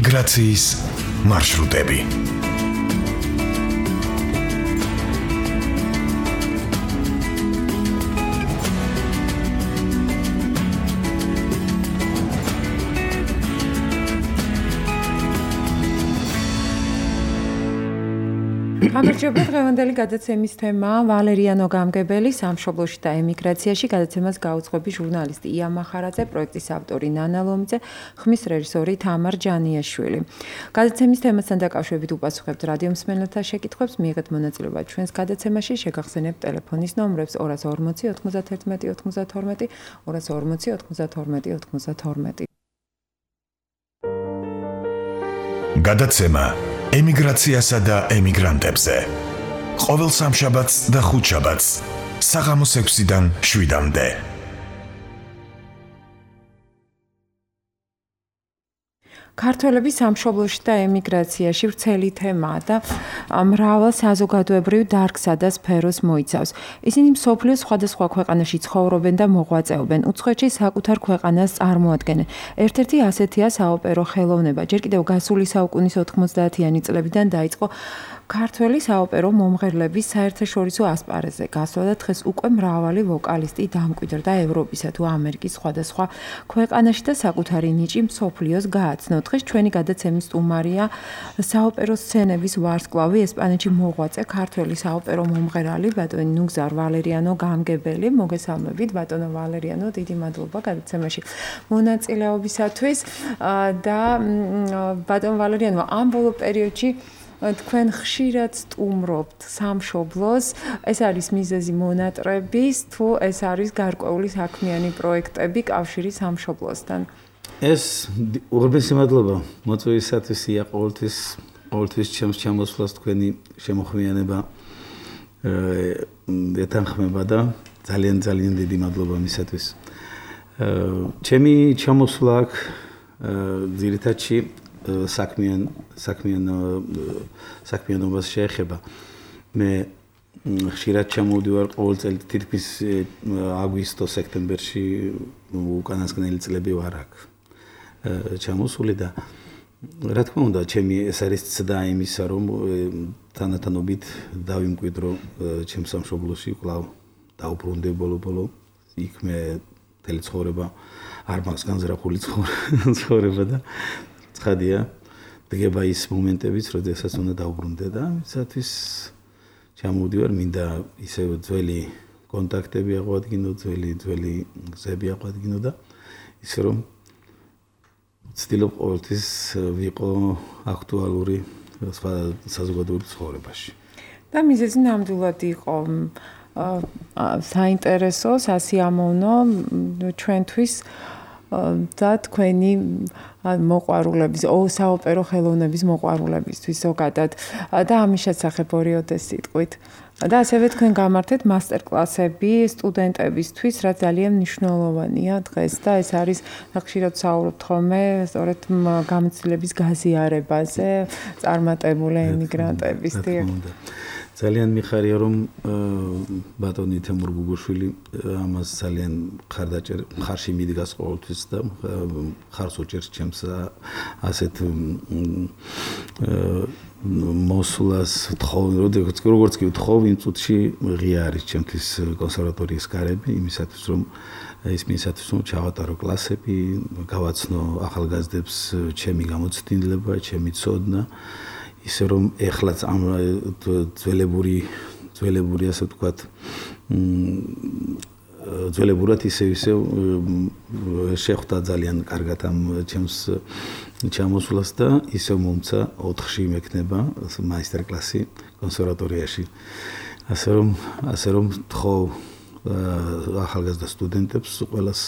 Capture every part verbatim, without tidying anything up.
ემიგრაციის მარშრუტები. გამარჯობა, დღევანდელი გადაცემის თემაა ვალერიანო გამგებელი სამშობლოში და ემიგრაციაში. გადაცემას გაუძღვები ჟურნალისტი ია მახარაძე, პროექტის ავტორი ნანა ლომიძე, ხმის რეჟისორი თამარ ჯანიაშვილი. გადაცემის თემასთან დაკავშირებით უპასუხებთ რადიო მსმენელთა შეკითხვებს, მიიღეთ მონაწილეობა ჩვენს გადაცემაში, შეგახსენებთ ტელეფონის ნომრებს ორას ორმოცი ოთხმოცდათერთმეტი ოცდათორმეტი, ორას ორმოცი ოთხმოცდათორმეტი ოცდათორმეტი. გადაცემა ემიგრაციასა და ემიგრანტებზე. ყოველ სამშაბათს და ხუთშაბათს საღამოს ექვსიდან შვიდამდე. ქართველების სამშობლოში და ემიგრაციაში ვრცელი თემაა და მრავალ საზოგადოებრივ დარგსა და სფეროს მოიცავს. ისინი მსოფლიოს სხვადასხვა ქვეყანაში ცხოვრობენ და მოღვაწეობენ, უცხოეთში საკუთარ ქვეყანას წარმოადგენენ. ერთ-ერთი ასეთია საოპერო ხელოვნება. ჯერ კიდევ გასული საუკუნის ოთხმოცდაათიანი წლებიდან დაიწყო ქართველი საოპერო მომღერლების საერთაშორისო ასპარეზზე გასვლა და დღეს უკვე მრავალი ვოკალისტი დამკვიდრდა ევროპისა თუ ამერიკის სხვადასხვა ქვეყანაში და საკუთარი ნიჭი მსოფლიოს გააცნო. დღეს ჩვენი გადაცემის სტუმარია საოპერო სცენების ვარსკვლავი, ესპანეთში მოღვაწე ქართველი საოპერო მომღერალი ბატონი ნუგზარ ვალერიანო გამგებელი. მოგესალმებით ბატონო ვალერიანო, დიდი მადლობა გადაცემაში მონაწილეობისათვის და ბატონო ვალერიანო, ამ ბოლო პერიოდში თქვენ ხშირად სტუმრობთ სამშობლოს, ეს არის მიზეზი მონატრების თუ ეს არის გარკვეული საქმიანი პროექტები კავშირი სამშობლოსთან? ეს უღრმესი მადლობა მოწვევისათვის, ია, ყოველთვის ყოველთვის ჩემს ჩამოსვლას თქვენი შემოხმიანება ეთანხმება და ძალიან ძალიან დიდი მადლობა მისათვის. ჩემი ჩამოსვლა აქ ძირითადში საქმიან საქმიან საქმიანობას შეეხება. მე ხშირად ჩამოვდივარ ყოველ წელი თითქმის აგვისტო-სექტემბერში, უკანასკნელი წლები ვარ აქ ჩამოსული და რა თქმა უნდა, ჩემი ეს არის ცდა იმისა, რომ თანათანობით დავიმკვიდრო ჩემს სამშობლოში, კვლავ დავუბრუნდე ბოლო-ბოლო. იქ მე მთელი ცხოვრება არ მაქვს განზრახული ცხოვრება და ცხადია, დგება ის მომენტებიც, როდესაც უნდა დავუბრუნდე და ამისათვის ჩამოვდივარ, მინდა ისე ძველი კონტაქტები აღვადგინო, ძველი ძველი გზები აღვადგინო და ისე რომ ვცდილობ ყოველთვის ვიყო აქტუალური საზოგადოებრივ ცხოვრებაში. და მიზეზი ნამდვილად იყო საინტერესო, სასიამოვნო ჩვენთვის და თქვენი მოყვარულების, საოპერო ხელოვნების მოყვარულებისთვის ზოგადად და ამის შესახებ ორიოდე სიტყვით. და ასევე თქვენ გამართეთ მასტერკლასები სტუდენტებისთვის, რაც ძალიან მნიშვნელოვანია დღეს და ეს არის ხშირად საუბრობთ ხოლმე სწორედ გამოცდილების გაზიარებაზე წარმატებული ემიგრანტების. ძალიან მიხარია, რომ ბატონი თემურ გუგუშვილი ამას ძალიან მხარდაჭერ მხარში მიდგას ყოველთვის და მხარს უჭერს ჩემს ასეთ მოსვლას თხოვ, როგორც კი ვთხოვ, იმ წუთში ღია არის ჩემთვის კონსერვატორიის კარები, იმისათვის რომ ის მისათვის რომ ჩავატარო კლასები, გავაცნო ახალგაზრდებს ჩემი გამოცდილება, ჩემი ცოდნა. ისე რომ ეხლაც ამ ძველებური ძველებური ასე ვთქვათ ძველებურად ისე ისე შეხვდა ძალიან კარგად ამ ჩემს ჩამოსვლას და ისე მომცა ოთხში მექნება მაისტერკლასი კონსერვატორიაში. ასე რომ ასე რომ თხოვ ახალგაზრდა სტუდენტებს ყველას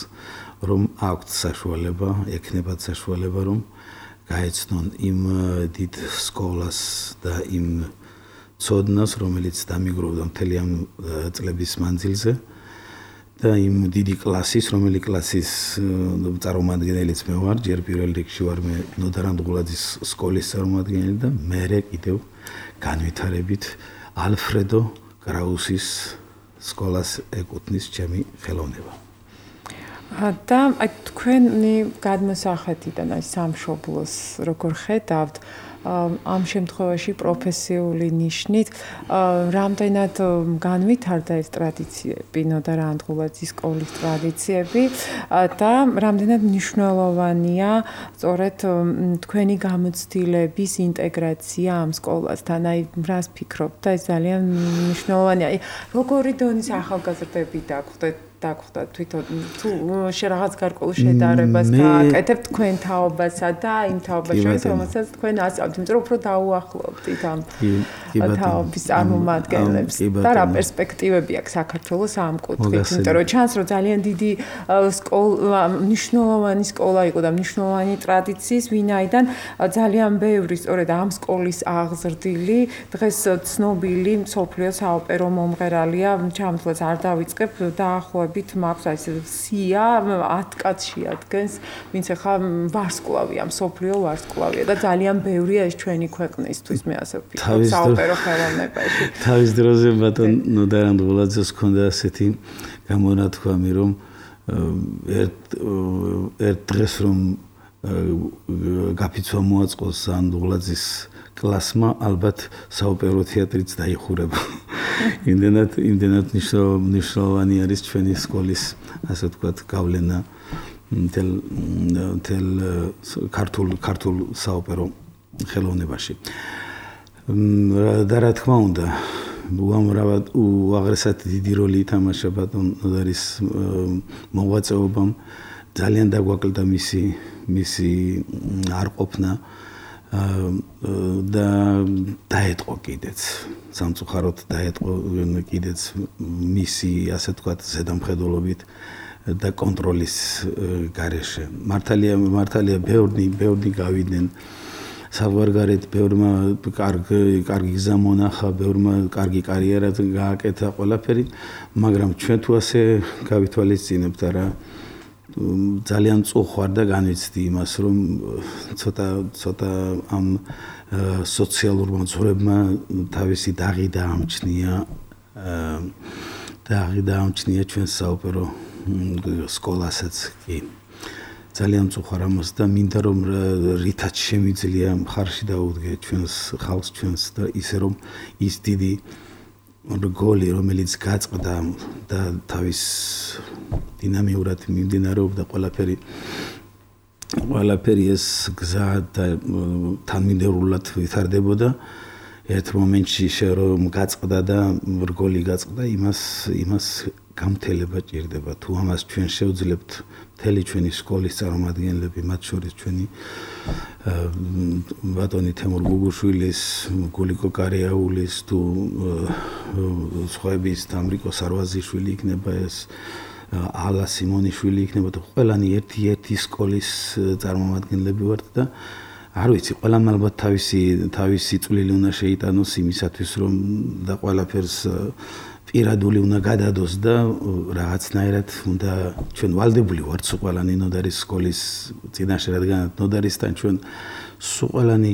რომ აქვთ საშუალება, ექნებათ საშუალება რომ გაეცნონ იმ დიდ სკოლას და იმ ცოდნას, რომელიც დამიგროვდა მთელი ამ წლების მანძილზე და იმ დიდი კლასის, რომელი კლასის წარმომადგენელიც მე ვარ, ჯერ პირველ რიგში ვარ მე ნოდარ ანდღულაძის სკოლის წარმომადგენელი და მერე კიდევ განვითარებით ალფრედო კრაუსის სკოლას ეკუთვნის ჩემი ხელოვნება. და აი თქვენი გადმოსახედიდან აი სამშობლოს როგორ ხედავთ ამ შემთხვევაში პროფესიული ნიშნით რამდენად განვითარდა ეს ტრადიციები, ნოდა რანდღულაძის სკოლის ტრადიციები და რამდენად მნიშვნელოვანია სწორედ თქვენი გამოცდილების ინტეგრაცია ამ სკოლასთან. აი რას ფიქრობთ და ეს ძალიან მნიშვნელოვანია. აი როგორი დონის ახალგაზრდები დაგხვდეთ დაგხვდათ თვითონ თუ რაღაც გარკვეულ შედარებას გააკეთებთ თქვენ თაობასა და იმ თაობას შორის რომელსაც თქვენ ასწავლთ, იმიტომ რომ უფრო დაუახლოვდით ამ თაობის წარმომადგენლებს და რა პერსპექტივები აქვს საქართველოს ამ კუთხით, იმიტომ რომ ჩანს რომ ძალიან დიდი სკოლა, მნიშვნელოვანი სკოლა იყო და მნიშვნელოვანი ტრადიციის, ვინაიდან ძალიან ბევრი სწორედ ამ სკოლის აღზრდილი დღეს ცნობილი მსოფლიოს საოპერო მომღერალია, ჩამთვლაც არ დავიწყებ დაახლოებით მაქვს აი ეს სია ათ კაცში ადგენს, ვინც ახლა ვარსკვლავია, მსოფლიო ვარსკვლავია და ძალიან ბევრია ეს ჩვენი ქვეყნისთვის, მე ასე ვფიქრობ, საოპერო ხელოვნებაში. თავის დროზე ბატონ ნოდა რანდღულაძეს ჰქონდა ასეთი გამონათქვამი, რომ ერთ ერთ დღეს რომ გაფიცვა მოაწყოს რანდღულაძის კლასმა, ალბათ საოპერო თეატრიც დაიხურება. იმდენად იმდენად მნიშვნელოვანი არის ჩვენი სკოლის, ასე ვთქვათ, გავლენა მთელ მთელ ქართულ ქართულ საოპერო ხელოვნებაში. და რა თქმა უნდა, უამრავად უაღრესად დიდი როლი ითამაშა ბატონ ნოდარის მოღვაწეობამ, ძალიან დაგვაკლდა მისი მისი არყოფნა და დაეთყო კიდეც სამწუხაროდ დაეთყო კიდეც მისი ასე ვთქვათ ზედამხედველობით და კონტროლის გარეშე. მართალია მართალია ბევრი ბევრი გავიდნენ საზღვარგარეთ, ბევრმა კარგი კარგი გზა მონახა, ბევრმა კარგი კარიერა გააკეთა ყველაფერი, მაგრამ ჩვენ თუ ასე გავითვალისწინებთ არა ძალიან წუხვარ და განვიცდი იმას, რომ ცოტა ცოტა ამ სოციალურმა ძვრებმა თავისი დაღი დაამჩნია დაღი დაამჩნია ჩვენ საოპერო სკოლასაც კი. ძალიან წუხვარ ამას და მინდა რომ რითაც შემიძლია მხარში დაუდგე ჩვენს ხალხს ჩვენს და ისე რომ ის დიდი რგოლი რომელიც გაწყდა და თავის დინამიურად მიმდინარეობდა ყველაფერი ყველაფერი ეს გზა და თანმიმდევრულად ვითარდებოდა ერთ მომენტში რომ გაწყდა და რგოლი გაწყდა იმას იმას გამთელება ჭირდება თუ ამას ჩვენ შევძლებთ მთელი ჩვენი სკოლის წარმომადგენლები მათ შორის ჩვენი ბატონი თემურ გუგუშვილის გულიკო კარიაულის თუ სხვაების თამრიკო სარვაზიშვილი იქნება ეს ალა სიმონიშვილი იქნება და ყველანი ერთი-ერთი სკოლის წარმომადგენლები ვართ და არ ვიცი, ყველამ ალბათ თავისი თავისი წვლილი უნდა შეიტანოს იმისათვის რომ და ყველაფერს პირადული უნდა გადადოს და რაღაცნაირად უნდა ჩვენ ვალდებული ვართ სულ ყველანი ნოდარის სკოლის წინაშე, რადგან ნოდარისთან ჩვენ სულ ყველანი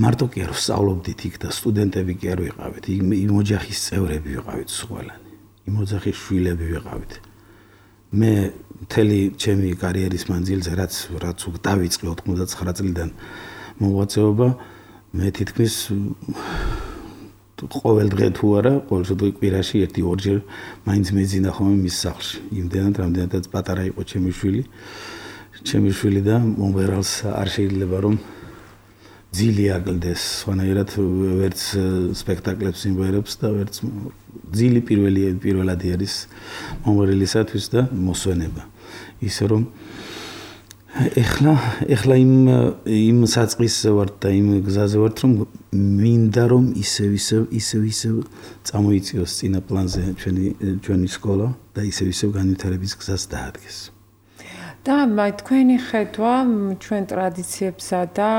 მარტო კი არ ვსწავლობდით იქ და სტუდენტები კი არ ვიყავით, იმ ოჯახის წევრები ვიყავით სულ ყველანი. იმ ოჯახის შვილები ვიყავით. მე მთელი ჩემი კარიერის მანძილზე რაც რაც დავიწყე ოთხმოცდაცხრა წლიდან მოღვაწეობა, მე თითქმის ყოველ დღე თუ არა, ყოველ შემთხვევაში კვირაში ერთი ორჯერ მაინც მეძინა ხოლმე მის სახლში. იმდენად რამდენადაც პატარა იყო ჩემი შვილი. ჩემი შვილი და მომღერალს არ შეიძლება რომ ძილი აკლდეს, სხვანაირად ვერც სპექტაკლებს იმღერებს და ვერც ძილი პირველი პირველადი არის მომღერლისათვის და მოსვენება. ისე რომ ეხლა ეხლა იმ იმ საწყისზე ვართ და იმ გზაზე ვართ რომ მინდა რომ ისევ ისევ ისევ ისევ წამოიწიოს წინა პლანზე ჩვენი ჩვენი სკოლა და ისევ ისევ განვითარების გზას დაადგეს. და აი თქვენი ხედვა ჩვენ ტრადიციებსა და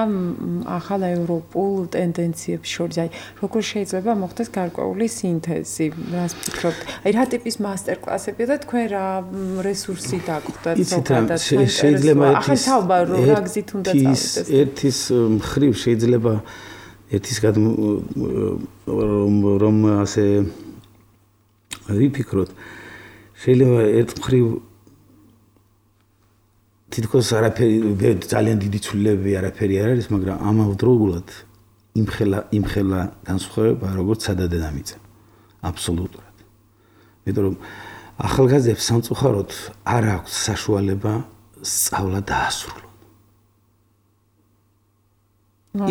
ახალ ევროპულ ტენდენციებს შორის აი როგორ შეიძლება მოხდეს გარკვეული სინთეზი, რას ფიქრობთ? აი რა ტიპის მასტერკლასებია და თქვენ რა რესურსი დაგხვდათ ზოგადად შეიძლება ახალ თაობა რა გზით უნდა წავიდეს? ერთის მხრივ შეიძლება ერთის რომ რომ ასე ვიფიქროთ შეიძლება ერთ მხრივ თითქოს არაფერი ძალიან დიდი ცვლილებები არაფერი არ არის, მაგრამ ამავდროულად იმხელა იმხელა განსხვავება როგორც სადადე-დამიწე. აბსოლუტურად. იმიტომ რომ ახალგაზრდებს სამწუხაროდ არ აქვს საშუალება სწავლა დაასრულონ.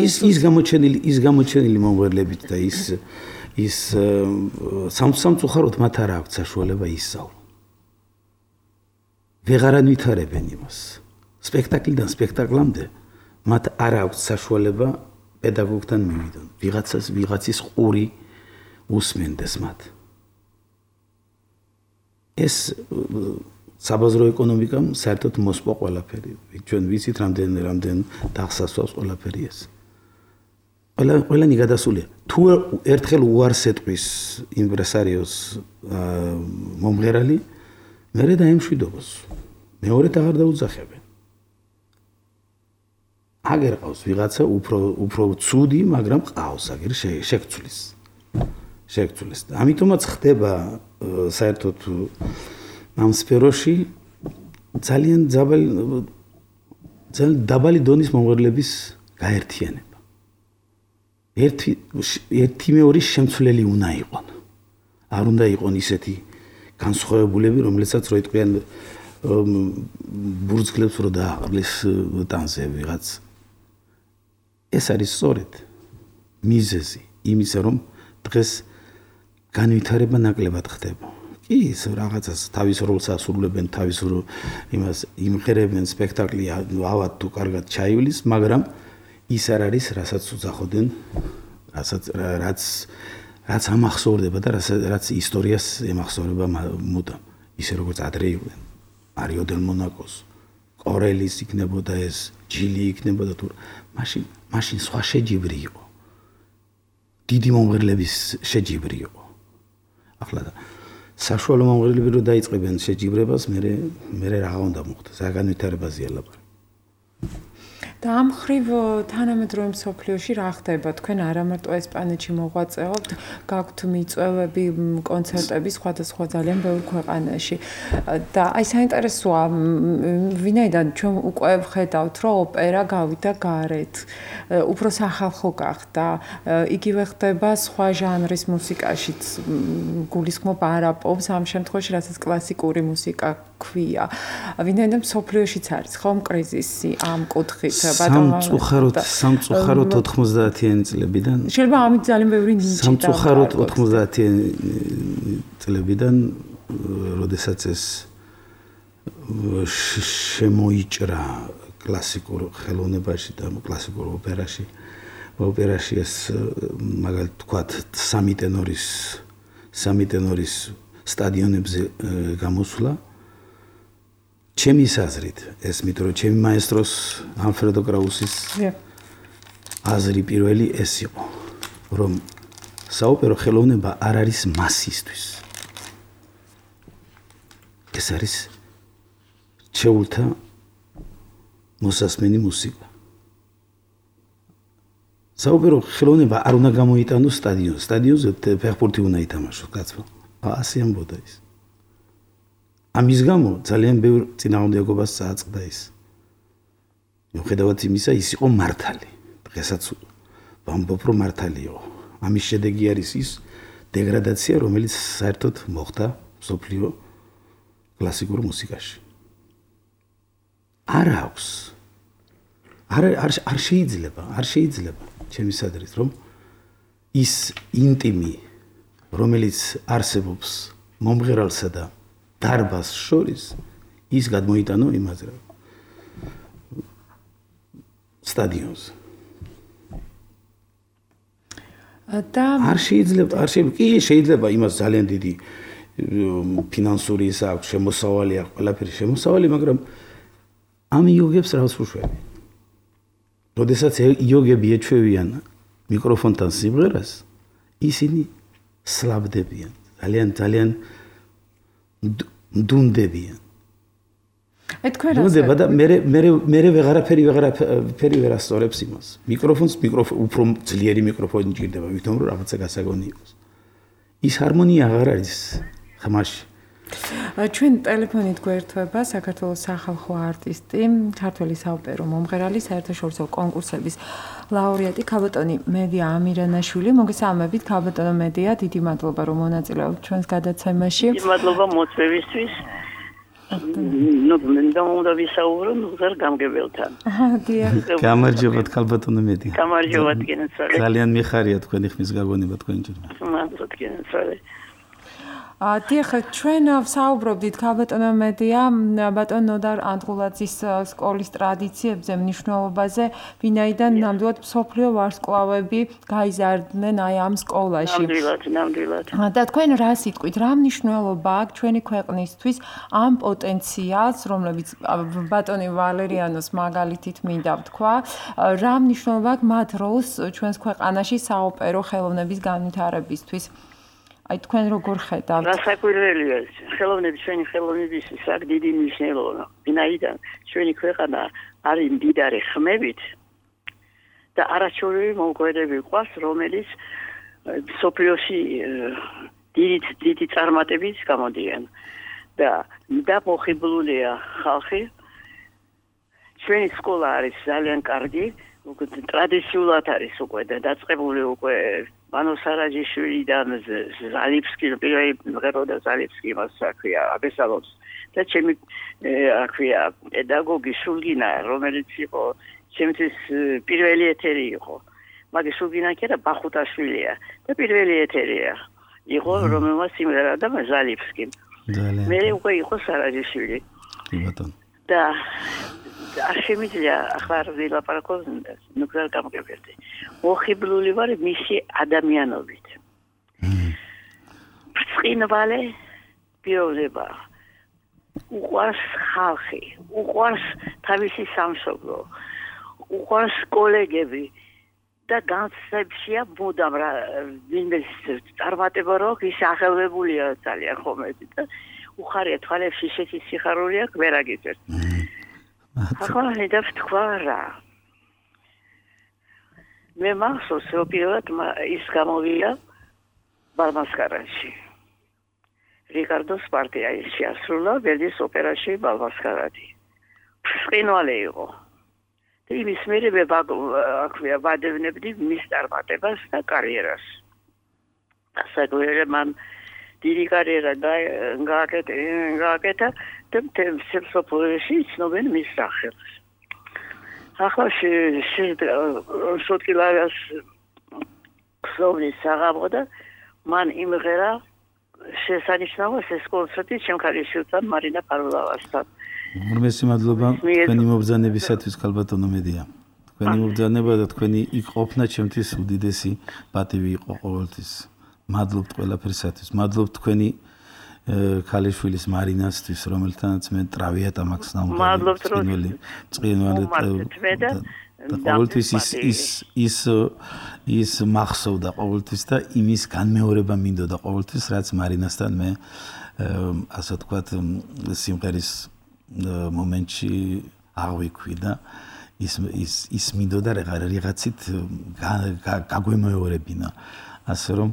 ის ის გამოჩენილი ის გამოჩენილი მომღერლებით და ის ის სამწუხაროდ მათ არ აქვს საშუალება ისწავლონ. ვეღარ ანვითარებენ იმას. სპექტაკლიდან სპექტაკლამდე მათ არ აქვს საშუალება პედაგოგთან მივიდონ. ვიღაცას ვიღაცის ყური უსმენდეს მათ. ეს საბაზრო ეკონომიკამ საერთოდ მოსპო ყველაფერი. ჩვენ ვიცით რამდენ რამდენ დახსასვავს ყველაფერი ეს. ყველა ყველანი გადასულია. თუ ერთხელ უარს ეტყვის იმპრესარიოს მომღერალი, მერე დაემშვიდობოს. მეორედ აღარ დაუძახებენ. აგერ ყავს ვიღაცა უფრო უფრო ცუდი, მაგრამ ყავს აგერ შეგცვლის. შეგცვლის. ამიტომაც ხდება საერთოდ ამ სფეროში ძალიან ძაბალი ძალიან დაბალი დონის მომღერლების გაერთიანება. ერთი ერთი მეორის შემცვლელი უნდა იყონ. არ უნდა იყონ ისეთი განსხვავებულები, რომლებსაც რო იტყვიან ბურძგლებს რო დააყრლის ტანზე ვიღაც. ეს არის სწორედ მიზეზი იმისა, რომ დღეს განვითარება ნაკლებად ხდება. კი, ის რაღაცას თავის როლს ასრულებენ, თავის იმას იმღერებენ სპექტაკლი ავად თუ კარგად ჩაივლის, მაგრამ ის არ არის, რასაც უძახოდნენ, რასაც რაც რაც ამახსოვრდება და რაც ისტორიას ემახსოვრება მუდამ. ისე როგორც ადრე იყვნენ. მარიო დელ მონაკოს, კორელის იქნებოდა ეს, ჯილი იქნებოდა თუ მაშინ მაშინ სხვა შეჯიბრი იყო. დიდი მომღერლების შეჯიბრი იყო. ახლა და საშუალო მომღერლები რო დაიწყებენ შეჯიბრებას, მე მე რა უნდა მოხდეს? რა განვითარებაზეა ლაპარაკი. და ამ ხრივ თანამედროვე მსოფლიოში რა ხდება? თქვენ არა მარტო ესპანეთში მოღვაწეობთ, გაქვთ მიწვევები, კონცერტები სხვადასხვა ძალიან ბევრ ქვეყანაში. და აი საინტერესოა, ვინაიდან ჩვენ უკვე ვხედავთ, რომ ოპერა გავიდა გარეთ, უფრო სახალხო გახდა, იგივე ხდება სხვა ჟანრის მუსიკაშიც, გულისხმობ არაპობს, ამ შემთხვევაში რასაც კლასიკური მუსიკა ქვია. ვინაიდან მსოფლიოშიც არის ხომ კრიზისი ამ კუთხით? სამწუხაროდ სამწუხაროდ ოთხმოცდაათიანი წლებიდან შეიძლება ამით ძალიან ბევრი ნიჭი და სამწუხაროდ ოთხმოცდაათიანი წლებიდან როდესაც ეს შემოიჭრა კლასიკურ ხელოვნებაში და კლასიკურ ოპერაში ოპერაში ეს მაგალითად თქვათ სამი ტენორის სამი ტენორის სტადიონებზე გამოსვლა ჩემი აზრით, ეს მით რომ ჩემი მაესტროს ალფრედო კრაუსის აზრი პირველი ეს იყო, რომ საოპერო ხელოვნება არ არის მასისთვის. ეს არის ჩეულთა მოსასმენი მუსიკა. საოპერო ხელოვნება არ უნდა გამოიტანოს სტადიონზე, სტადიონზე ფეხბურთი უნდა ითამაშოს, კაცო. ასე ამბობდა ის. ამის გამო ძალიან ბევრ წინააღმდეგობას წააწყდა ის. მიუხედავად იმისა, ის იყო მართალი. დღესაც ვამბობ, რომ მართალი იყო. ამის შედეგი არის ის დეგრადაცია, რომელიც საერთოდ მოხდა მსოფლიო კლასიკურ მუსიკაში. არ აქვს. არ არ შეიძლება, არ შეიძლება ჩემი სადრით, რომ ის ინტიმი, რომელიც არსებობს მომღერალსა და დარბას შორის ის გადმოიტანო იმაზე რა სტადიონზე. და არ შეიძლება, არ შეიძლება, კი შეიძლება იმას ძალიან დიდი ფინანსური ის აქვს, შემოსავალი აქვს, ყველაფერი შემოსავალი, მაგრამ ამ იოგებს რას უშვები? როდესაც იოგები ეჩვევიან მიკროფონთან სიმღერას, ისინი სლაბდებიან, ძალიან ძალიან დუნდებიან. აი თქვენ რა დუნდება და მე მე მე ვეღარაფერი ვეღარაფერი ვერ ასწორებს იმას. მიკროფონს მიკროფონ უფრო ძლიერი მიკროფონი ჭირდება, ვითომ რომ რაღაცა გასაგონი იყოს. ის ჰარმონია აღარ არის ხმაში. ჩვენ ტელეფონით გვერდება საქართველოს სახალხო არტისტი, ქართველი საოპერო მომღერალი, საერთაშორისო კონკურსების ლაურეატი ქალბატონი მედია ამირანაშვილი. მოგესალმებით ქალბატონო მედია, დიდი მადლობა რომ მონაწილეობთ ჩვენს გადაცემაში. დიდი მადლობა მოწვევისთვის. ნუ მინდა უნდა ვისაუბრო ნუღარ გამგებელთან. დიახ. გამარჯობა ქალბატონო მედია. გამარჯობა თქვენცალე. ძალიან მიხარია თქვენი ხმის გაგონება თქვენ ჯერ. მადლობა თქვენცალე. დიახ, ჩვენ ვსაუბრობდით ქალბატონო მედია, ბატონ ნოდარ ანდღულაძის სკოლის ტრადიციებზე, მნიშვნელობაზე, ვინაიდან ნამდვილად მსოფლიო ვარსკვლავები გაიზარდნენ აი ამ სკოლაში. ნამდვილად, ნამდვილად. და თქვენ რა სიტყვით, რა მნიშვნელობა აქვს ჩვენი ქვეყნისთვის ამ პოტენციალს, რომლებიც ბატონი ვალერიანოს მაგალითით მინდა ვთქვა, რა მნიშვნელობა აქვს მათ როლს ჩვენს ქვეყანაში საოპერო ხელოვნების განვითარებისთვის? აი თქვენ როგორ ხედავთ? რასაკვირველია, ხელოვნების ჩვენი ხელოვნებისთვის აქვს დიდი მნიშვნელობა. ვინაიდან ჩვენი ქვეყანა არის მდიდარი ხმებით და არაჩვეულებრივი მომღერლები ყავს, რომელიც მსოფლიოში დიდი დიდი წარმატებით გამოდიან და დამოხიბლულია ხალხი. ჩვენი სკოლა არის ძალიან კარგი, ტრადიციულად არის უკვე და დაწყებული უკვე მანო სარაჯიშვილიდან ზალიფსკი პირველი მღეროდა ზალიფსკი მას აქვია აბესალოს და ჩემი აქვია პედაგოგი სულგინა რომელიც იყო ჩემთვის პირველი ეთერი იყო მაგის სულგინა კი არა ბახუტაშვილია და პირველი ეთერია იყო რომელმაც სიმღერა და ზალიფსკი მე უკვე იყო სარაჯიშვილი და არ შემიძლია ახლა ვილაპარაკო ნუგარ გამგებელდი მოხიბლული ვარ მისი ადამიანობით ბრწყინვალე პიროვნება უყვარს ხალხი უყვარს თავისი სამშობლო უყვარს კოლეგები და განსხვავებია მუდამ რა ვინმე წარმატება რო ის აღელვებულია ძალიან ხომეთი და უხარია თვალებში შეცი სიხარული აქვს ვერ აგიწერთ ახლა ხედავ თქვა რა მე მახსოვს რომ პირველად ის გამოვიდა ბალმასკარაში რიკარდოს პარტია ის შეასრულა ვერდის ოპერაში ბალმასკარადი ფრინვალე იყო და იმის მერე მე აქვია ვადევნებდი მის წარმატებას და კარიერას ასაგოერე მან დიდი კარიერა გააკეთა და მთელ სოფლებში ცნობენ მის სახელს ახლა შოტკილარას ხსოვნის აღამოდა მან იმღერა შესანიშნავად ეს კონცერტი ჩემ ქალიშვილთან მარინა პარულავასთან უმრავლესი მადლობა თქვენი მობრძანებისათვის ქალბატონო მედია თქვენი მობრძანება და თქვენი იქ ყოფნა ჩემთვის უდიდესი პატივი იყო ყოველთვის მადლობთ ყველაფერსათვის მადლობთ თქვენი ქალიშვილის მარინასთვის რომელთანაც მე ტრავიატა მაქვს ნამდვილად მადლობთ რომ წინვალე და ყოველთვის ის ის ის ის მახსოვდა ყოველთვის და იმის განმეორება მინდოდა ყოველთვის რაც მარინასთან მე ასე ვთქვათ სიმღერის მომენტში აღვიქვი და ის ის ის მინდოდა რაღაცით გაგვემეორებინა ასე რომ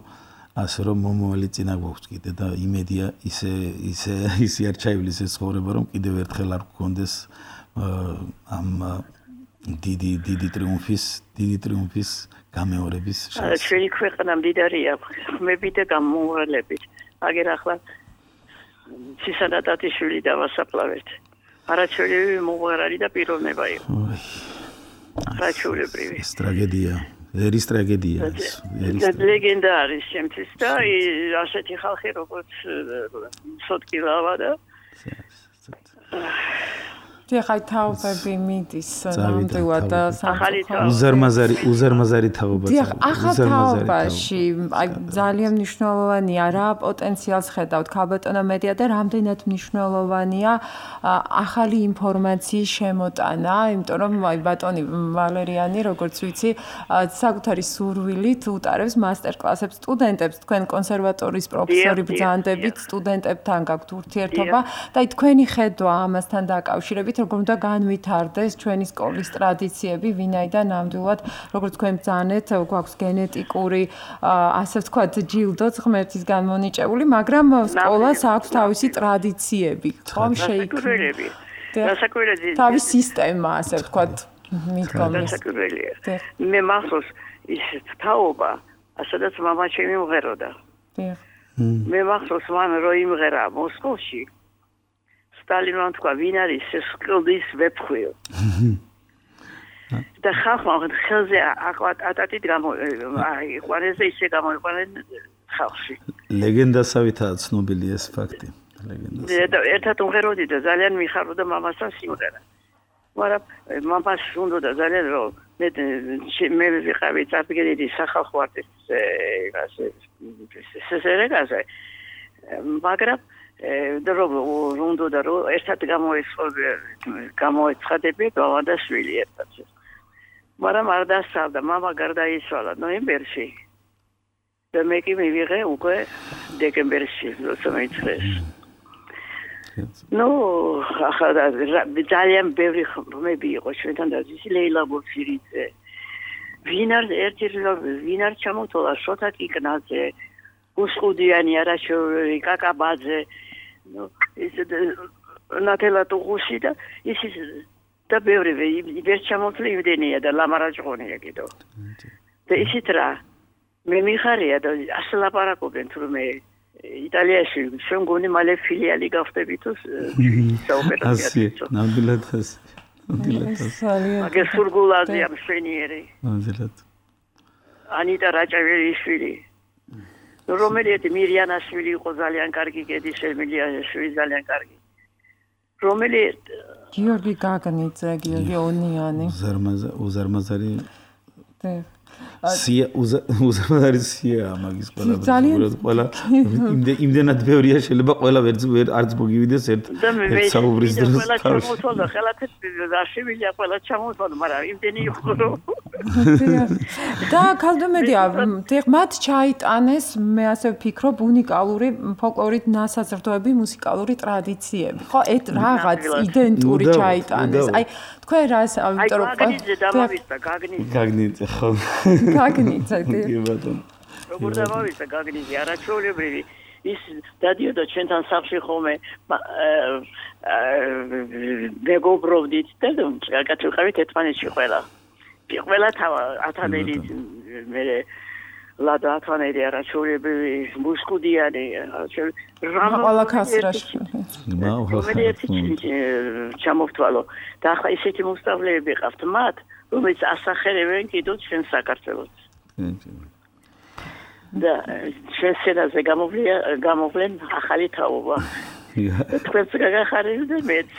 ასე რომ მომავალი წინა გვაქვს კიდე და იმედია ისე ისე ისე არ ჩაივლის ეს ცხოვრება რომ კიდევ ერთხელ არ გქონდეს ამ დიდი დიდი ტრიუმფის დიდი ტრიუმფის გამეორების შანსი. ჩვენი ქვეყანა მდიდარია ხმებით და გამომღერლებით. აგერ ახლა ცისანატათიშვილი დავასაფლავეთ. არაჩვეულებრივი მომღერალი და პიროვნება იყო. არაჩვეულებრივი. ეს ტრაგედია. ერის ტრაგედია ეს. ეს ლეგენდა არის შემთთვის და ასეთი ხალხი როგორც სოტკილავა და ხაი თავები მიდის ნამდვილად სამწუხაროდ უზარმაზარი უზარმაზარი თაობა დიახ ახალ თაობაში აი ძალიან მნიშვნელოვანია რა პოტენციალს ხედავთ ქალბატონო მედია და რამდენად მნიშვნელოვანია ახალი ინფორმაციის შემოტანა იმიტომ რომ აი ბატონი ვალერიანი როგორც ვიცი საკუთარი სურვილით უტარებს მასტერკლასებს სტუდენტებს თქვენ კონსერვატორიის პროფესორი ბრძანდებით სტუდენტებთან გაქვთ ურთიერთობა და აი თქვენი ხედვა ამასთან დაკავშირებით როგორ უნდა განვითარდეს ჩვენი სკოლის ტრადიციები, ვინაიდან ნამდვილად, როგორც თქვენ ბრძანეთ, გვაქვს გენეტიკური, ასე ვთქვათ, ჯილდოც ღმერთის განმონიჭებული, მაგრამ სკოლას აქვს თავისი ტრადიციები, ხომ შეიქმნა. თავის სისტემა, ასე ვთქვათ, მიდგომის. მე მახსოვს ის თაობა, სადაც მამა ჩემი მღეროდა. მე მახსოვს მან რო იმღერა მოსკოვში. სტალინმა თქვა, ვინ არის ეს სკოლის ვეფხვიო. და ხალხმა ხელზე ატატით გამო იყვანეს ისე გამოიყვანენ ხალხში. ლეგენდასავითაა ცნობილი ეს ფაქტი. ლეგენდასა. ერთად უმღეროდი და ძალიან მიხარობდა მამასთან სიმღერა. მაგრამ მამას უნდა ძალიან რომ მე მე ვიყავი წარდგენილი სახალხო არტისტი ასე სესერეგაზე მაგრამ დრო უნდა და რომ ერთად გამოეცხადე გამოეცხადები გავადაშვილი ერთად მაგრამ არ დასწავდა მამა გარდაიცვალა ნოემბერში და მე კი მივიღე უკვე დეკემბერში როცა მეცხრეს ნუ ახლა ძალიან ბევრი ხმები იყო ჩვენთან და ისი ლეილა ბურცირიძე ვინ არ ერთი ვინ არ ჩამოთვალა შოთა კიკნაძე გუსყუდიანი არაშოვი კაკაბაძე ნუ ის ნატელა ტუღუსი და ის და ბევრი ვერ ჩამოთვლი იმდენია და ლამარაჭყონია კიდო და ისიც რა მე მიხარია და ასე ლაპარაკობენ თურმე იტალიაში შემგონი მალე ფილიალი გავხდები თუ საოპერაციო. ნამდვილად ასე. ნამდვილად ასე. მაგე სურგულაზია მშვენიერი. ნამდვილად. ანიტა რაჭავერიშვილი. რომელიეთი მირიანაშვილი იყო ძალიან კარგი კედის ემილიაშვილი ძალიან კარგი. რომელიეთ გიორგი გაგნიძე, გიორგი ონიანი. უზარმაზარი უზარმაზარი. სია უზარმაზარი სია მაგის ყველა ყველა იმდენად ბევრია შეიძლება ყველა ვერ არც მოგივიდეს ერთ ერთ საუბრის დროს ყველა ჩამოთვალა ხელათეთ რაშივილია ყველა ჩამოთვალა მაგრამ იმდენი იყო და ქალდომედია მათ ჩაიტანეს მე ასე ვფიქრობ унიკალური ფოლკლორით ნასაზრდოები მუსიკალური ტრადიციები ხო ეს რაღაც იდენტური ჩაიტანეს აი თქვენ რას ამიტომ რომ გაგნიძე დამავიდა გაგნიძე გაგნიძე ხო გაგნიძე კი ბატონო როგორ დამავიდა გაგნიძე არაჩვეულებრივი ის დადიოდა ჩვენთან სახლში ხოლმე მეგობრობდით და გაკეთილყავით ერთმანეთში ყველა ყველა თავა ათანელი მე ლადა ათანელი არაჩვეულებრივი მუსკუდიანი ყველა ქასრაში ჩამოვთვალო და ახლა ისეთი მოსწავლეები ყავთ მათ რომელიც ასახერებენ კიდევ ჩვენ საქართველოს და ჩვენ სცენაზე გამოვლია გამოვლენ ახალი თაობა თქვენც გაგახარებთ მეც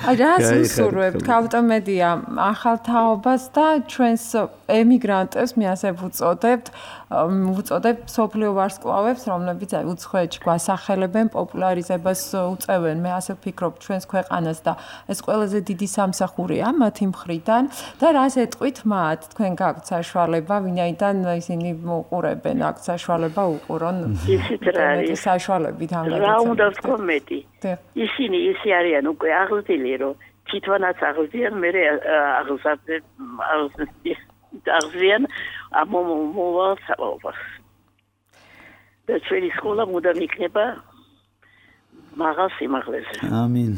აი რას უსურვებთ ავტომედია ახალ თაობას და ჩვენს ემიგრანტებს მე ასე ვუწოდებთ ვუწოდებთ სოფლიო ვარსკვლავებს რომლებიც აი უცხოეთში გვასახელებენ პოპულარიზებას უწევენ მე ასე ვფიქრობ ჩვენს ქვეყანას და ეს ყველაზე დიდი სამსახურია მათი მხრიდან და რას ეტყვით მათ თქვენ გაქვთ საშუალება ვინაიდან ისინი მოყურებენ აქ საშუალება უყურონ ისიც რა არის საშუალებით ანგარიშ რა უნდა ვთქვა მეტი ისინი ისე არიან უკვე აღზრდილი რომ თვითონაც აღზრდიან მე აღზრდიან აღზრდიან ამომოვალ საუბარს და ჩვენი სკოლა მუდამ იქნება მაღალ სიმაღლეზე ამინ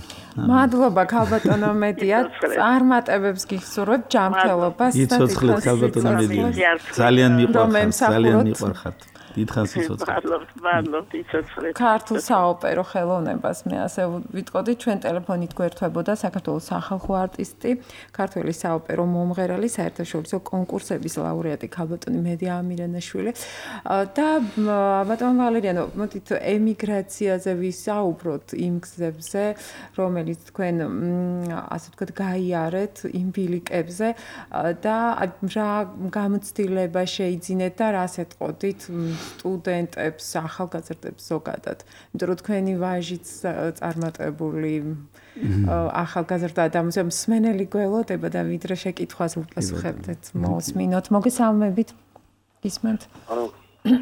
მადლობა ქალბატონო მედია წარმატებებს გიხსურებ ჯანმრთელობას და იცოცხლეთ ქალბატონო მედია ძალიან მიყვარხართ ძალიან მიყვარხართ დიდხანს იცოცხლეთ მადლობთ მადლობთ იცოცხლეთ ქართულ საოპერო ხელოვნებას მე ასე ვიტყოდი ჩვენ ტელეფონით გვერდებოდა საქართველოს სახალხო არტისტი ქართველი საოპერო მომღერალი საერთაშორისო კონკურსების ლაურეატი ქალბატონი მედია ამირანაშვილი და ბატონო ვალერიანო მოდით ემიგრაციაზე ვისაუბროთ იმ გზებზე რომელიც თქვენ ასე ვთქვათ გაიარეთ იმ ბილიკებზე და რა გამოცდილება შეიძინეთ და რას ეტყოდით სტუდენტებს, ახალგაზრდებს ზოგადად. იმიტომ რომ თქვენი ვაჟიც წარმატებული ახალგაზრდა და მსმენელი გველოდება და ვიდრე შეკითხვას უპასუხებთ, მოსმინოთ. მოგესალმებით. გისმენთ?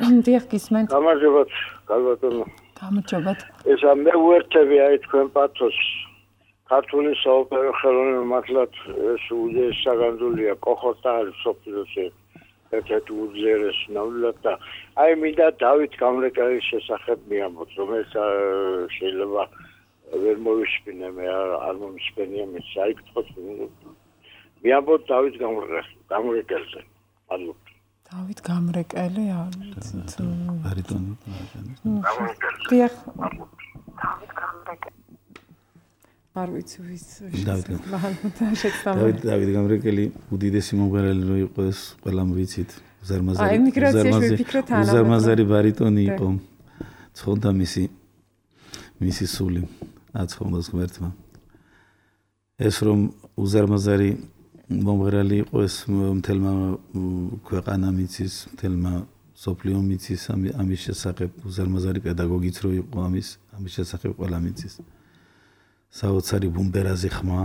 ანუ დიახ, გისმენთ. გამარჯობათ, ქალბატონო. გამარჯობათ. ეს მე უერთები აი თქვენ პათოს ქართული საოპერო ხელოვნება მართლაც ეს უძეს საგანძულია კოხოთა არის სოფიოსი ერთ-ერთი უძერეს ნამდვილად და აი მინდა დავით გამრეკელის შესახებ მიამბოთ რომელიც შეიძლება ვერ მოვისმინე მე არ მომისმენია მე საერთოდ მიამბოთ დავით გამრეკელზე ანუ დავით გამრეკელი არის ბარიტონი დიახ დავით გამრეკელი არ ვიცი ვის დავით დავით გამრეკელი უდიდესი მომღერალი რო იყოს ყველამ ვიცით უზარმაზარი უზარმაზარი ბარიტონი იყო ცხონდა მისი მისი სული აცხონდას ღმერთმა ეს რომ უზარმაზარი მომღერალი იყო ეს მთელმა ქვეყანამ იცის მთელმა სოფლიომ იცის ამის შესახებ უზარმაზარი პედაგოგიც რო იყო ამის ამის შესახებ ყველამ იცის საოცარი ბუმბერაზი ხმა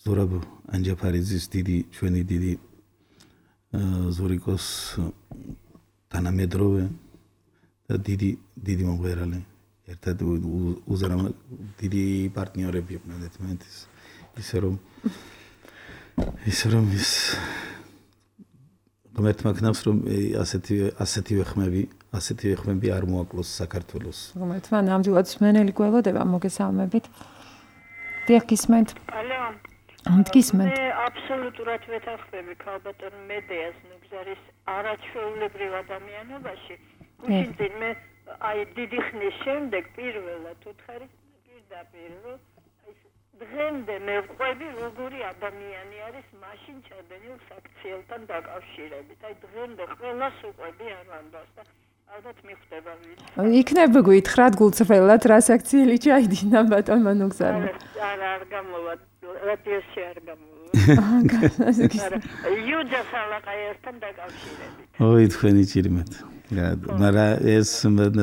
ზურაბ ანჯაფარიძის დიდი ჩვენი დიდი ზურიკოს თანამედროვე და დიდი დიდი მომღერალი ერთად უზრამა დიდი პარტნიორები იყვნენ ერთმანეთის ისე რომ ისე რომ ის ღმერთმა ქნავს რომ ასეთი ასეთივე ხმები ასეთივე ხმები არ მოაკლოს საქართველოს ღმერთმა ნამდვილად სმენელი გველოდება მოგესალმებით დიახ გისმენთ ალო გისმენთ მე აბსოლუტურად ვეთანხმები ქალბატონ მედეას ნუგზარის არაჩვეულებრივ ადამიანობაში უშინძინ მე აი დიდი ხნის შემდეგ პირველად უთხარი პირდაპირ რომ დღემდე მე ვყვები როგორი ადამიანი არის მაშინ ჩადენილ საქციელთან დაკავშირებით აი დღემდე ყველას უყვები არ ვანდას და ალბათ მიხვდება ვიცი იქნება გითხრათ გულწრფელად რა საქციელი ჩაიდინა ბატონმა ნუგზარმა არა არ გამოვა რადიოში არ გამოვა არა იუჯა სალაყაიასთან დაკავშირებით ოი თქვენი ჭირიმეთ მაგრამ ეს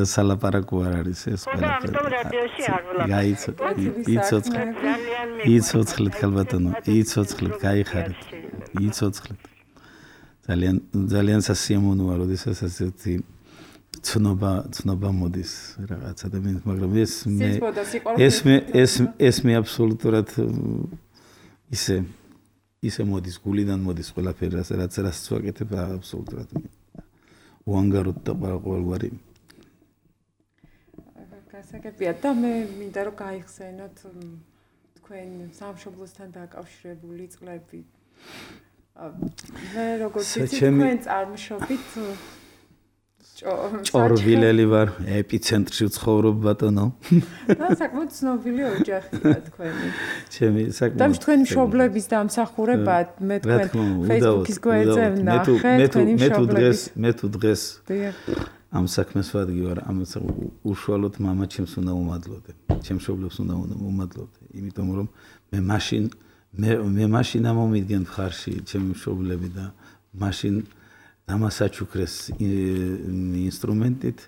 სალაპარაკო არ არის ეს ყველაფერი. ხო, რადიოში არ ვლაპარაკობ. იცოცხლეთ. იცოცხლეთ ხალბატონო, იცოცხლეთ, გაიხარეთ. იცოცხლეთ. ძალიან ძალიან სასიამოვნოა, როდესაც ასეთი ცნობა ცნობა მოდის რაღაც ადამიანს, მაგრამ ეს მე ეს მე ეს ეს მე აბსოლუტურად ისე ისე მოდის გულიდან მოდის ყველაფერი რაც რაც ვაკეთებ აბსოლუტურად უანგაროდ და ყოველგვარი გასაგებია და მე მინდა რომ გაიხსენოთ თქვენ სამშობლოსთან დაკავშირებული წლები მე როგორც ვიცი თქვენ წარმოშობით ჭორვილელი ვარ ეპიცენტრში ვცხოვრობ ბატონო და საკმაოდ ცნობილი ოჯახია თქვენი ჩემი საკმაოდ და თქვენი მშობლების დამსახურება მე თქვენ Facebook-ის გვერდზე ვნახე თქვენი მშობლების მე თუ დღეს ამ საქმეს ვადგი ვარ ამ უშუალოდ მამა ჩემს უნდა უმადლოდე ჩემ მშობლებს უნდა უმადლოდე იმიტომ რომ მე მაშინ მე მე მაშინ ამომიდგენ მხარში ჩემი მშობლები და მაშინ დამასაჩუქრეს ინსტრუმენტით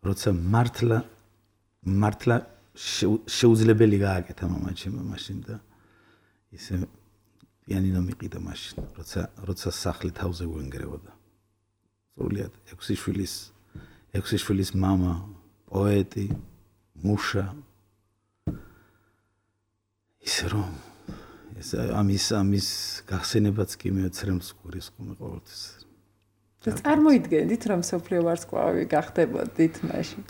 როცა მართლა მართლა შეუძლებელი გააკეთა მამა ჩემმა მაშინ და ისე პიანინო მიყიდა მაშინ როცა როცა სახლი თავზე გვენგრევოდა სრულიად ექვსი შვილის ექვსი შვილის მამა პოეტი მუშა ისე რომ ეს ამის ამის გახსენებაც კი მეცრემს გურის ყომე ყოველთვის და წარმოიდგენდით რომ სოფლიო ვარსკვლავი გახდებოდით მაშინ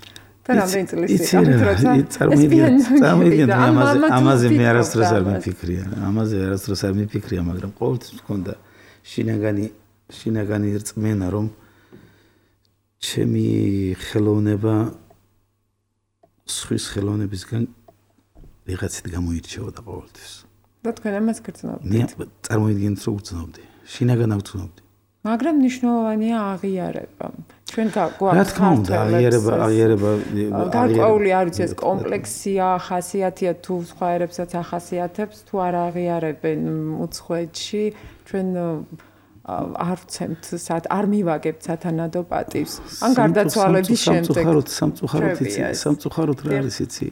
და რამდენი წლის იყო როცა წარმოიდგენთ წარმოიდგენთ ამაზე ამაზე მე არასდროს არ მიფიქრია ამაზე არასდროს არ მიფიქრია მაგრამ ყოველთვის მქონდა შინაგანი შინაგანი რწმენა რომ ჩემი ხელოვნება სხვის ხელოვნებისგან ვიღაცით გამოირჩეოდა ყოველთვის და თქვენ ამას გრძნობთ მე წარმოიდგენთ რომ გრძნობდი შინაგან აღწნობდი მაგრამ ნიშნულოვანია აღიარება. ჩვენ გვაქვს რა თქმა უნდა აღიარება აღიარება გარკვეული არ ვიცი ეს კომპლექსია, ხასიათია თუ სხვა ერებსაც ახასიათებს, თუ არ აღიარებენ უცხოეთში, ჩვენ არ ვცემთ სად არ მივაგებთ სათანადო პატივს. ან გარდაცვალების შემდეგ სამწუხაროდ სამწუხაროდ იცი, სამწუხაროდ რა არის იცი.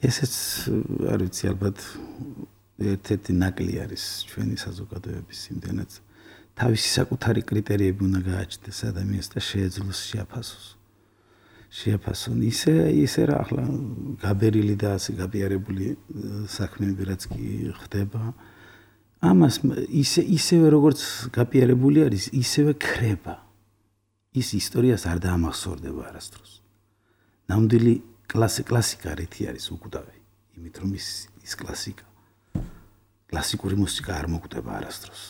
ესეც არ ვიცი ალბათ ერთ-ერთი ნაკლი არის ჩვენი საზოგადოების იმდენად თავისი საკუთარი კრიტერიები უნდა გააჩნდეს ადამიანს და შეეძლოს შეაფასოს. შეაფასონ. ისე ისე რა ახლა გაბერილი და ასე გაბიარებული საქმეები რაც კი ხდება. ამას ისე ისევე როგორც გაბიარებული არის, ისევე ქრება. ის ისტორიას არ დაამახსოვრდება არასდროს. ნამდვილი კლასი კლასიკა რითი არის უკვდავი. იმით რომ ის ის კლასიკა კლასიკური მუსიკა არ მოკვდება არასდროს.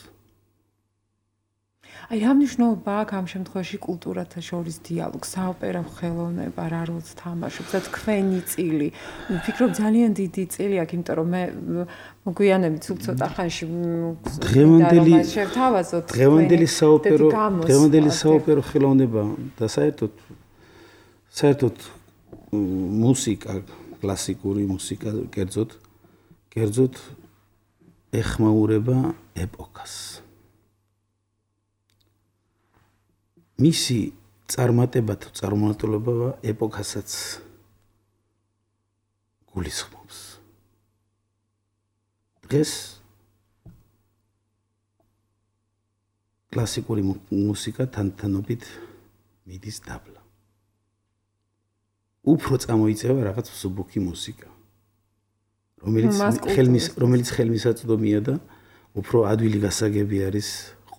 აი რა მნიშვნელობა აქვს ამ შემთხვევაში კულტურათა შორის დიალოგს, საოპერო ხელოვნება რა როლს თამაშობს და თქვენი წილი. ვფიქრობ ძალიან დიდი წილი აქვს, იმიტომ რომ მე მოგვიანებით სულ ცოტა ხანში დღევანდელი შევთავაზოთ დღევანდელი საოპერო დღევანდელი საოპერო ხელოვნება და საერთოდ საერთოდ მუსიკა, კლასიკური მუსიკა კერძოდ კერძოდ ეხმაურება ეპოქას. მისი წარმატება თუ წარმატება ეპოქასაც გულისხმობს. დღეს კლასიკური მუსიკა თანთანობით მიდის დაბლა. უფრო წამოიწევა რაღაც მსუბუქი მუსიკა, რომელიც ხელმის რომელიც ხელმისაწვდომია და უფრო ადვილი გასაგები არის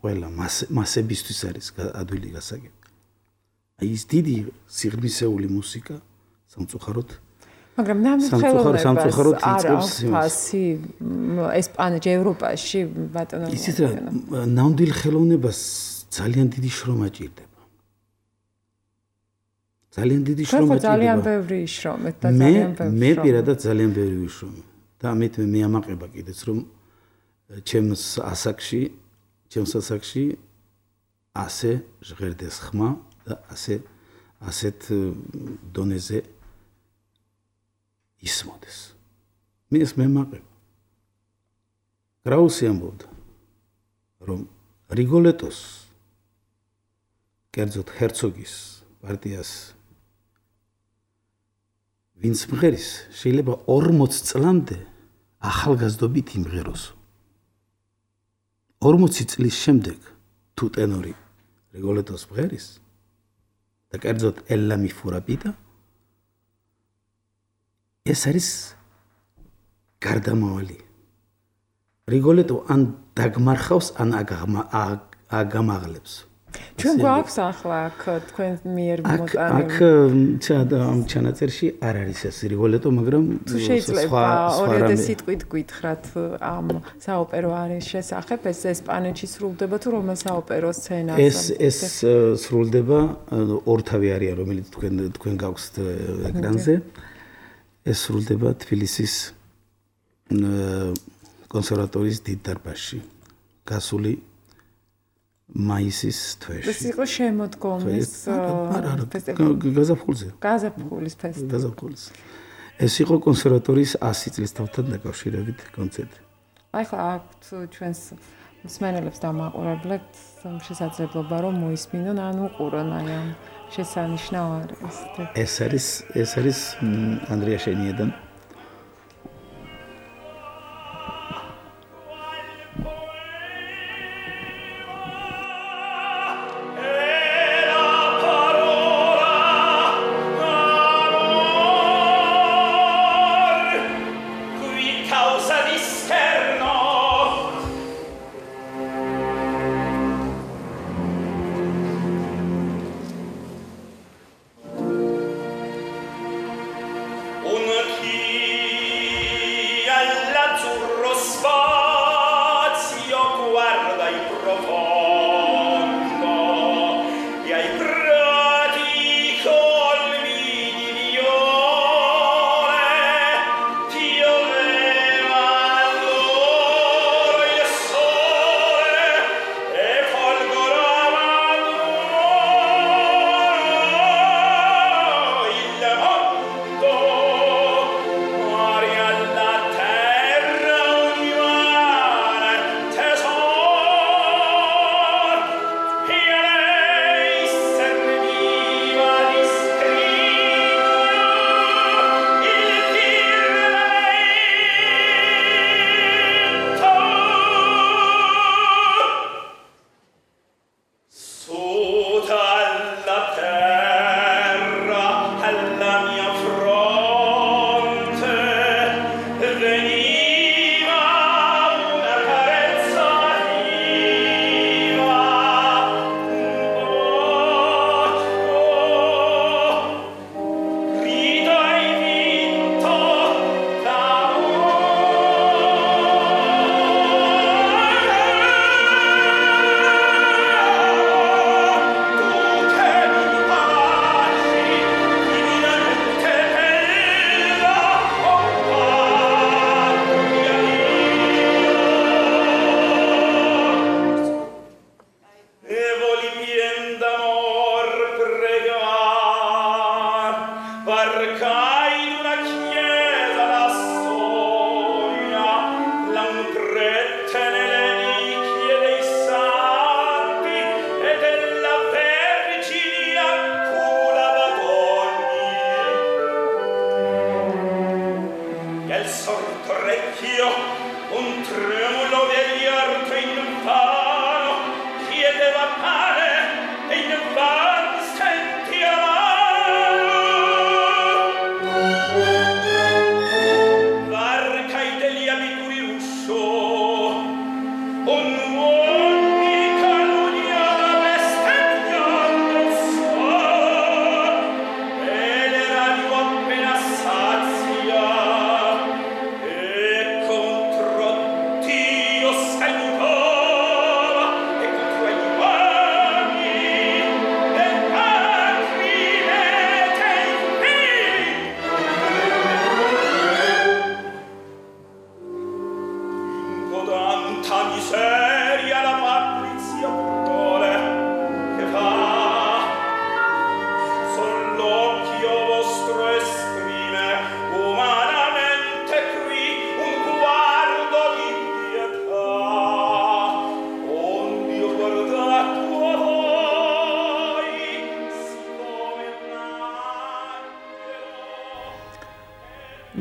ყველა მასებისთვის არის ადვილი გასაგები. აი ეს დიდი სიღრმისეული მუსიკა სამწუხაროდ მაგრამ ნამდვილად სამწუხაროდ იწყებს ფასი ესპანეთში, ევროპაში ბატონო. ისიც რა ნამდვილ ხელოვნებას ძალიან დიდი შრომა ჭირდება. ძალიან დიდი შრომა ჭირდება. ძალიან ბევრი შრომეთ და ძალიან ბევრი. მე პირადად ძალიან ბევრი ვიშრომე და ამით მე ამაყება კიდეც რომ ჩემს ასაკში ჩემს ასაკში ასე ჟღერდეს ხმა და ასე ასეთ დონეზე ისმოდეს. მე ეს მემაყება. გრაუსი ამბობდა რომ რიგოლეტოს კერძოდ ჰერცოგის პარტიას ვინც მღერის შეიძლება ორმოც წლამდე ახალგაზრდობით იმღეროს. ორმოცი წლის შემდეგ თუ ტენორი რიგოლეტოს მღერის და კერძოდ ელლა მი ფურაპიტა ეს არის გარდამავალი. რიგოლეტო ან დაგმარხავს ან აგამაღლებს. ჩვენ გვაქვს ახლა აქ თქვენ მიერ მოტანილი. აქ ამ ჩანაწერში არ არის ეს რიგოლეტო, მაგრამ შეიძლება ორიოდე სიტყვით გითხრათ ამ საოპერო არის შესახებ, ეს ესპანეთში სრულდება თუ რომელ საოპერო სცენაზე? ეს ეს სრულდება ორთავი არია, რომელიც თქვენ თქვენ გაქვთ ეკრანზე. ეს სრულდება თბილისის კონსერვატორიის დიდ დარბაზში. გასული მაისის თვეში. ეს იყო შემოდგომის ფესტივალი. გაზაფხულზე. გაზაფხულის ფესტივალი. გაზაფხულის. ეს იყო კონსერვატორიის ასი წლის თავთან დაკავშირებით კონცერტი. აი ხა აქვთ ჩვენს მსმენელებს და მაყურებლებთ შესაძლებლობა რომ მოისმინონ ან უყურონ აი ამ შესანიშნავ არის. ეს არის ეს არის ანდრია შენიედან. Maria la terra univale tesoro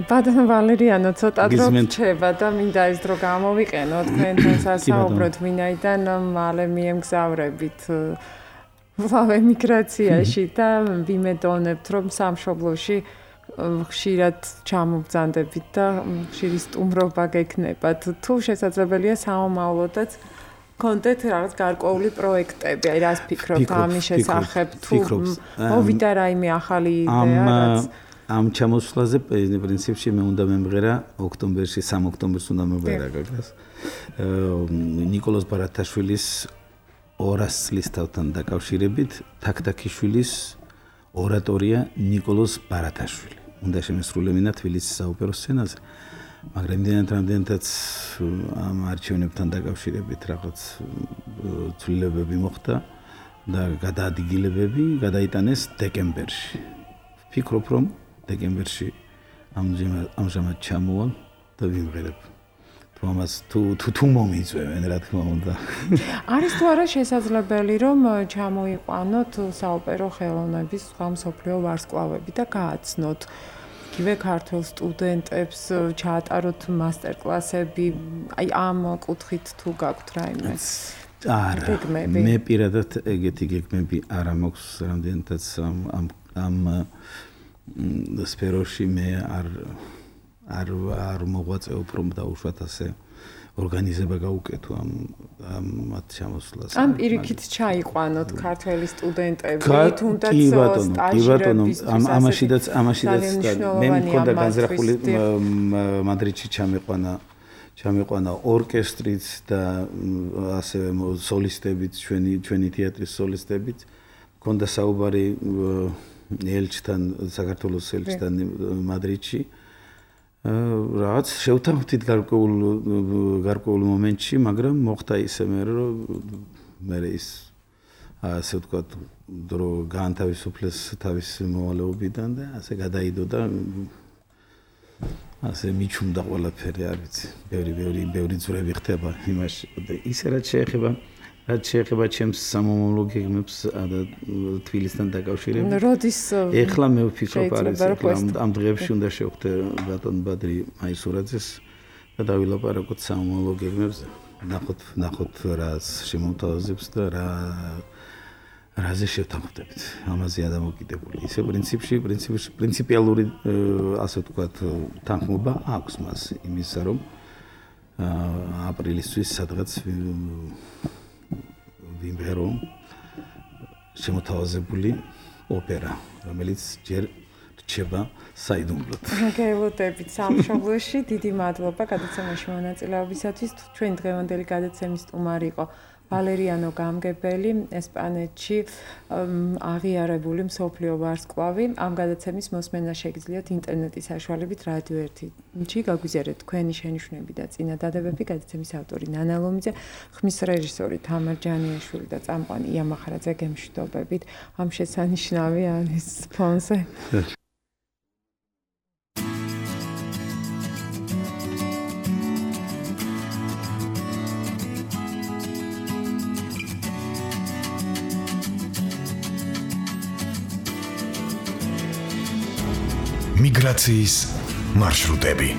ბატონო ვალერიანო, ცოტა დრო რჩება და მინდა ეს დრო გამოვიყენო თქვენთან სასაუბროდ, ვინაიდან მალე მიემგზავრებით ვლავ ემიგრაციაში და ვიმედოვნებთ, რომ სამშობლოში ხშირად ჩამობრძანდებით და ხშირი სტუმრობა გექნებათ. თუ შესაძლებელია სამომავლოდაც კონდეთ რაღაც გარკვეული პროექტები, აი რას ფიქრობთ ამის შესახებ, თუ მოვიდა რაიმე ახალი იდეა, რაც ამ ჩამოსვლაზე პრინციპში მე უნდა მემღერა ოქტომბერში, სამი ოქტომბერს უნდა მემღერა გაგას. ნიკოლოზ ბარათაშვილის ორას წლისთავთან დაკავშირებით თაქთაქიშვილის ორატორია ნიკოლოზ ბარათაშვილი. უნდა შემესრულებინა თბილისის საოპერო სცენაზე. მაგრამ იმდენად რამდენადაც ამ არჩევნებთან დაკავშირებით რაღაც ცვლილებები მოხდა და გადაადგილებები გადაიტანეს დეკემბერში. ვფიქრობ, რომ დეკემბერში ამჟამად ჩამოვალ და ვიმღერებ. თუ ამას თუ თუ მომიწევენ, რა თქმა უნდა. არის თუ არა შესაძლებელი, რომ ჩამოიყვანოთ საოპერო ხელოვნების სხვა მსოფლიო ვარსკვლავები და გააცნოთ იგივე ქართულ სტუდენტებს, ჩაატაროთ მასტერკლასები, აი ამ კუთხით თუ გაქვთ რაიმე? არა, მე პირადად ეგეთი გეგმები არ მაქვს, რამდენადაც ამ ამ სფეროში მე არ არ არ მოღვაწეობ, რომ დაუშვათ ასე ორგანიზება გაუკეთო ამ ამ მათ ჩამოსვლას. ამ პირიქით ჩაიყვანოთ ქართველი სტუდენტები, თუნდაც სტაჟირების. ამ ამაშიდაც ამაშიდაც მე მქონდა განზრახული მადრიდში ჩამიყვანა ჩამიყვანა ორკესტრიც და ასევე სოლისტებიც, ჩვენი ჩვენი თეატრის სოლისტებიც. მქონდა საუბარი ელჩთან, საქართველოს ელჩთან მადრიდში. რაც შევთანხმდით გარკვეულ გარკვეულ მომენტში, მაგრამ მოხდა ისე მე რომ მე ის ასე ვთქვათ, დრო გაანთავისუფლეს თავის მოვალეობიდან და ასე გადაიდო და ასე მიჩუმდა ყველაფერი, არ ვიცი. ბევრი ბევრი ბევრი ძვრები ხდება იმაში. ისე რაც შეეხება რაც შეეხება ჩემს სამომავლო გეგმებს და თბილისთან დაკავშირებით. როდის ეხლა მე ვფიქრობ, არის ამ დღეებში უნდა შევხვდე ბატონ ბადრი მაისურაძეს და დავილაპარაკოთ სამომავლო გეგმებზე. ნახოთ ნახოთ რა შემოთავაზებს და რა რაზე შევთანხმდებით. ამაზე ადამოკიდებული. ისე პრინციპში პრინციპში პრინციპიალური ასე ვთქვათ თანხმობა აქვს მას იმისა, რომ აპრილისთვის სადღაც ვიმღერო შემოთავაზებული ოპერა, რომელიც ჯერ რჩება საიდუმლოდ. მოგევლოდებით სამშობლოში, დიდი მადლობა გადაცემაში მონაწილეობისათვის. ჩვენ დღევანდელი გადაცემის სტუმარი იყო ვალერიანო გამგებელი, ესპანეთში აღიარებული მსოფლიო ვარსკვლავი. ამ გადაცემის მოსმენა შეგიძლიათ ინტერნეტის საშუალებით რადიო ერთში გაგვიზიარეთ თქვენი შენიშვნები და წინადადებები. გადაცემის ავტორი ნანა ლომიძე, ხმის რეჟისორი თამარ ჯანიაშვილი და წამყვანი ია მახარაძე გემშვიდობებით. ამ შესანიშნავი არის ფონზე. მიგრაციის მარშრუტები